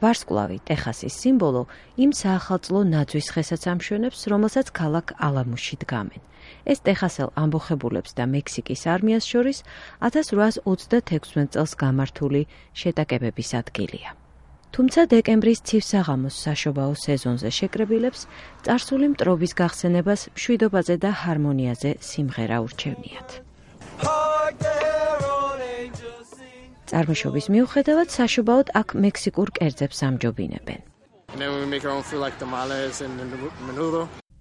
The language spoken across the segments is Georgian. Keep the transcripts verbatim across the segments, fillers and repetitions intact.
ვარსკვლავი, ტეხასის სიმბოლო, იმ საახალწლო ნაძვის ხესაც ამშვენებს, რომელსაც ქალაქ ალამუსში დგამენ. ეს ტეხასელ ამბოხებულებს და მექსიკის არმიას შორის ათას რვაას ოცდათექვსმეტ წელს გამართული შეტაკებების ადგილია. თუმცა დეკემბრის ცივ საღამოს საშობაო სეზონზე შეკრებილებს წარსული მტრობის გახსენებას მშვიდობაზე და ჰარმონიაზე სიმღერა ურჩევნიათ. წარმოშობის მიუხედავად საშობაოდ აქ მექსიკურ კერძებს ამჯობინებენ.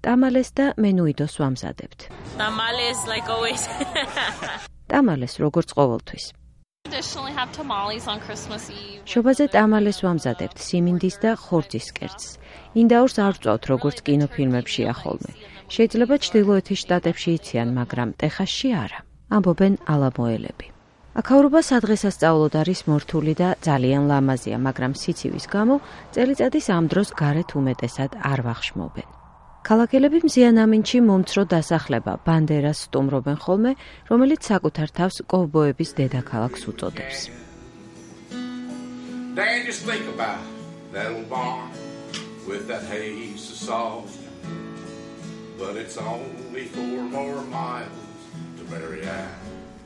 ტამალეს და მენუიდოს ვამზადებთ. ტამალეს როგორც ყოველთვის. შობაზე ტამალეს ვამზადებთ სიმინდის და ხორცის კერძს. ინდაურს არ ვწვავთ როგორც კინოფილმებშია ხოლმე. შეიძლება ჩრდილოეთის შტატებში იციან, მაგრამ ტეხასში არა, ამბობენ ალამოელები. აქაურობა სადღესასწაულოდ არის მორთული და ძალიან ლამაზია, მაგრამ სიცივის გამო წელიწადის ამ დროს გარეთ უმეტესად არ ვახშმობენ. ქალაქელები მზიან ამინჩი მომცრო დასახლება ბანდერას სტუმრობენ ხოლმე, რომელიც საკუთარ თავს კოვბოების დედაქალაქს უწოდებს.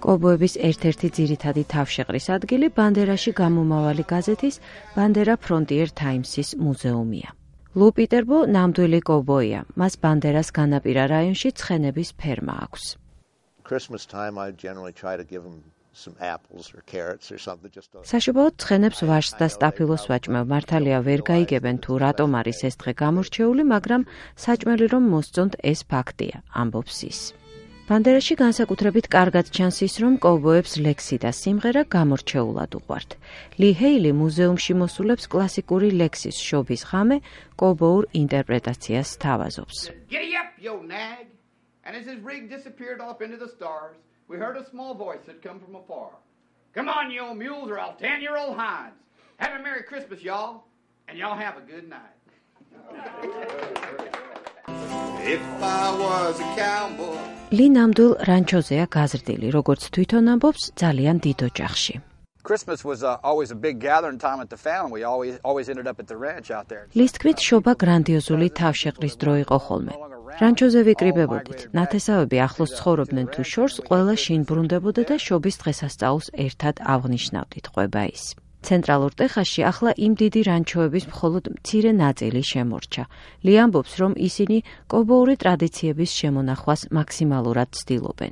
კოვბოების ერთ-ერთი ძირითადი თავშეყრის ადგილი ბანდერაში გამომავალი გაზეთის ბანდერა ფრონტიერ თაიმსის მუზეუმია. ლუ პიტერბო ნამდვილი კოვბოია, მას ბანდერას განაპირა რაიონში ცხენების ფერმა აქვს. საშობაოდ ცხენებს ვაშს და სტაფილოს ვაჭმევ, მართალია ვერ გაიგებენ თუ რატომ არის ეს დღე გამორჩეული, მაგრამ საჭმელი რომ მოსწონთ ეს ფაქტია, ამბობს ის. ბანდერაში განსაკუთრებით კარგად ჩანს ის, რომ კოვბოებს ლექსი და სიმღერა გამორჩეულად უყვართ. ლი ჰეილი მუზეუმში მოსულებს კლასიკური ლექსის შობის ღამე კოვბოურ ინტერპრეტაციას სთავაზობს. ლი ნამდვილ რანჩოზეა გაზრდილი, როგორც თვითონ ამბობს, ძალიან დიდ ოჯახში. ლის თქმით, შობა გრანდიოზული თავშეყრის დრო იყო ხოლმე. რანჩოზე ვიკრიბებოდით, ნათესავები ახლოს ცხოვრობდნენ თუ შორს, ყველა შინ ბრუნდებოდა და შობის დღესასწაულს ერთად აღნიშნავდით, ყვება ის. ცენტრალურ ტეხასში ახლა იმ დიდი რანჩოების მხოლოდ მცირე ნაწილი შემორჩა. ლი ამბობს, რომ ისინი კოვბოური ტრადიციების შემონახვას მაქსიმალურად ცდილობენ.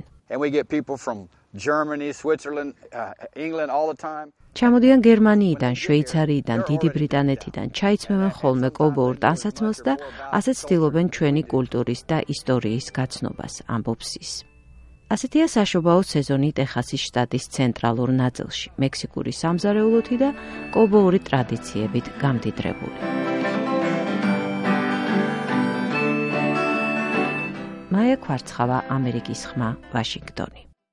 ჩამოდიან გერმანიიდან, შვეიცარიიდან, დიდი ბრიტანეთიდან, ჩაიცმევენ ხოლმე კოვბოურ ტანსაცმელს და ასე ცდილობენ ჩვენი კულტურის და ისტორიის გაცნობას, ამბობს ის. ასეთია საშობაო სეზონი ტეხასის შტატის ცენტრალურ ნაწილში, მექსიკური სამზარეულოთი და კოვბოური ტრადიციებით გამდიდრებული. მაია ქვარცხავა, ამერიკის ხმა, ვაშინგტონი.